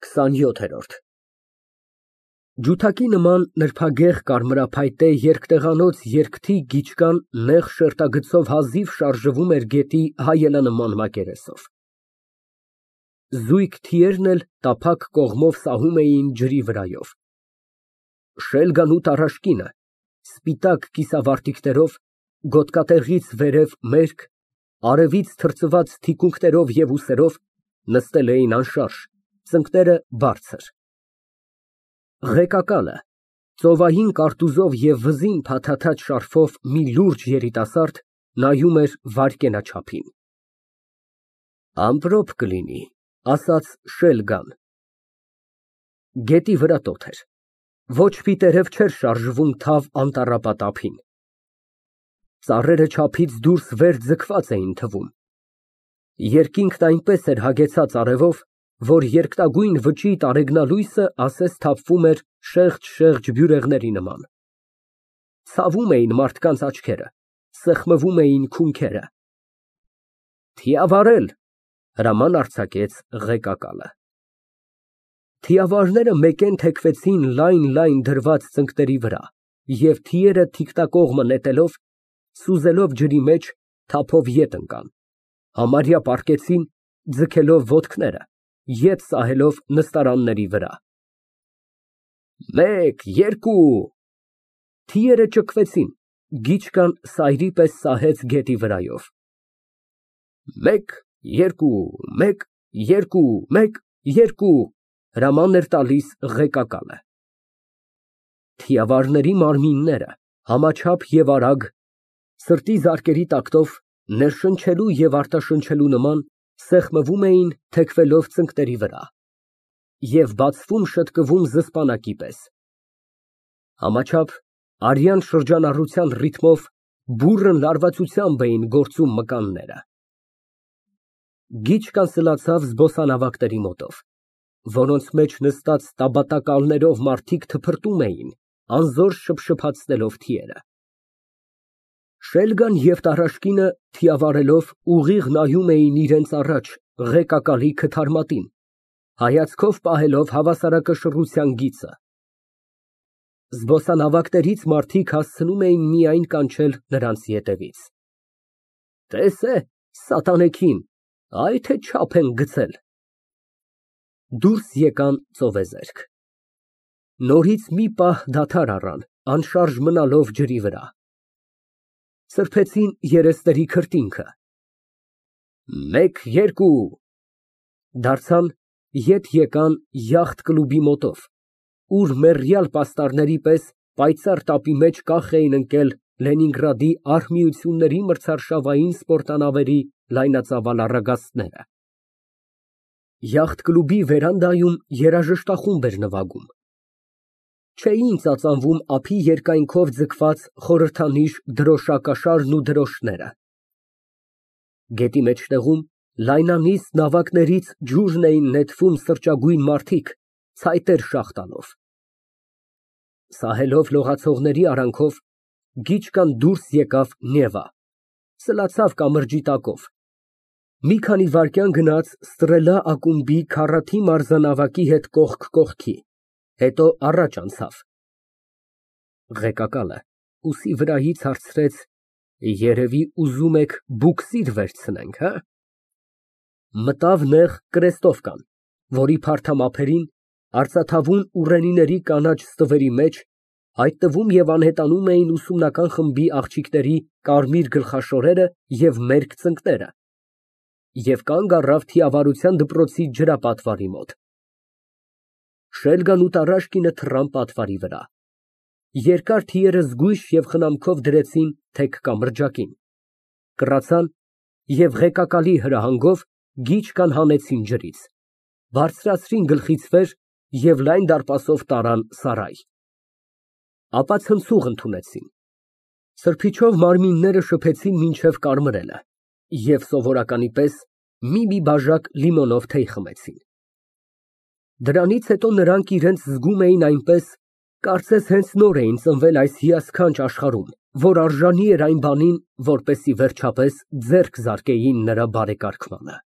27։ Ջութակի նման նրբագեղ կարմրափայտե երկտեղանոց երկթի գիչկան նեղ շերտագծով հազիվ շարժվում էր գետի հայելանման մակերեսով։ Զույգ թիերն էլ տափակ կողմով սահում էին ջրի վրայով։ Շելգան ու տառաշկինը, սպիտակ կիսավարտիքներով, գոտկատեղից վերև մերկ, արևից թրծված թիկունքներով և ուսերով, նստել էին անշարժ, ծնկները բարձր։ Ղեկակալը, ծովային կարտուզով և վզին փաթաթած շարֆով մի լուրջ երիտասարդ, նայում էր վայրկենաչափին։ Ամպրոպ կլինի, ասաց Շելգան։ Գետի վրա տոթ էր, ոչ պիտերև չէր շարժվում թավ անտառապատ ափին։ Ծառերը չափից դուրս վեր ձգված էին թվում։ Երկինքն այնպես էր հագեցած արևով, որ երկտագույն վճիտ տարեգնալույսը ասես թափվում էր շեղջ բյուրեղների նման։ Ցավում էին մարդկանց աչքերը, սեղմվում էին քունքերը։ Թիավարել, հրաման արձակեց ղեկակալը։ Թիավարները մեկեն թեքվեցին լայն դրված ծնկների վրա և թիերը թիկտակողմը նետելով, սուզելով ջրի մեջ, թափով ետ ընկան, համարյա պառկեցին, ձգելով ոտքները, ետ սահելով նստարանների վրա։ Մեկ, երկու… Թիերը ճկվեցին, գիչկան սայրի պես սահեց գետի վրայով։ Մեկ, երկու, մեկ, երկու, մեկ, երկու… հրաման էր տալիս ղեկակալը։ Թիավարների մարմինները, համաչափ և արագ, սրտի զարկերի տակտով, ներշնչելու և արտաշնչելու նման, սեղմվում էին, թեքվելով ծնկների վրա և բացվում շտկվում զսպանակի պես։ Համաչափ, արյան շրջանառության ռիթմով բուռն լարվածությամբ էին գործում մկանները։ Գիչկան սլացավ զբոսանավակների մոտով, որոնց մեջ նստած տաբատակալներով մարդիկ թփրտում էին, անզոր շփշփացնելով թիերը։ Շելգան և տառաշկինը, թիավարելով, ուղիղ նայում էին իրենց առաջ ղեկակալի քթարմատին, հայացքով պահելով հավասարակշռության գիծը։ Զբոսանավակներից մարդիկ հասցնում էին միայն կանչել նրանց ետևից։ Տես է, սատանեքին, այ թե չափ են գցել։ Դուրս եկան ծովեզերք։ Նորից մի պահ դադար առան, անշարժ մնալով ջրի վրա։ Սրբեցին երեսների քրտինքը։ Մեկ, երկու… Դարձան, ետ եկան յախտ֊կլուբի մոտով, ուր մեռյալ պաստառների պես պայծառ տապի մեջ կախ էին ընկել Լենինգրադի արհմիությունների մրցարշավային սպորտանավերի լայնածավալ առագաստները։ Յախտ֊կլուբի վերանդայում երաժշտախումբ էր նվագում։ Չէին ծածանվում ափի երկայնքով ձգված խորհրդանիշ դրոշակաշարն ու դրոշները։ Գետի մեջտեղում լայնանիստ նավակներից ջուրն էին նետվում սրճագույն մարդիկ, ցայտեր շաղ տալով։ Սահելով լողացողների արանքով, գիչկան դուրս եկավ Նևա, սլացավ կամրջի տակով, մի քանի վայրկյան գնաց Ստրելա ակումբի քառաթիվ մարզանավակի հետ կողք կողքի, հետո առաջ անցավ։ Ղեկակալը ուսի վրայից հարցրեց. Երևի ուզում եք բուքսիր վերցնենք, հը։ Մտավ նեղ կրեստովկան, որի փարթամ ափերին, արծաթավուն ուռենիների կանաչ ստվերի մեջ, հայտնվում և անհետանում էին ուսումնական խմբի աղջիկների կարմիր գլխաշորերը և մերկ ծնկները, և կանգ առավ թիավարության դպրոցի ջրապատվարի մոտ։ Շելգան ու տառաշկինը թռան պատվարի վրա։ Երկար թիերը զգույշ և խնամքով դրեցին թեք կամրջակին, կռացան և ղեկակալի հրահանգով գիչկան հանեցին ջրից, բարձրացրին գլխից վեր և լայն դարպասով տարան սարայ։ Ապա ցնցուղ ընդունեցին։ Սրբիչով մարմինները շփեցին մինչև կարմրելը և սովորականի պես մի բաժակ լիմոնով թեյ խմեցին։ Դրանից հետո նրանք իրենց զգում էին այնպես, կարծես հենց նոր էին ծնվել այս հիասքանչ աշխարհում, որ արժանի էր այն բանին, որպեսզի վերջապես ձեռք զարկեին նրա բարեկարգմանը։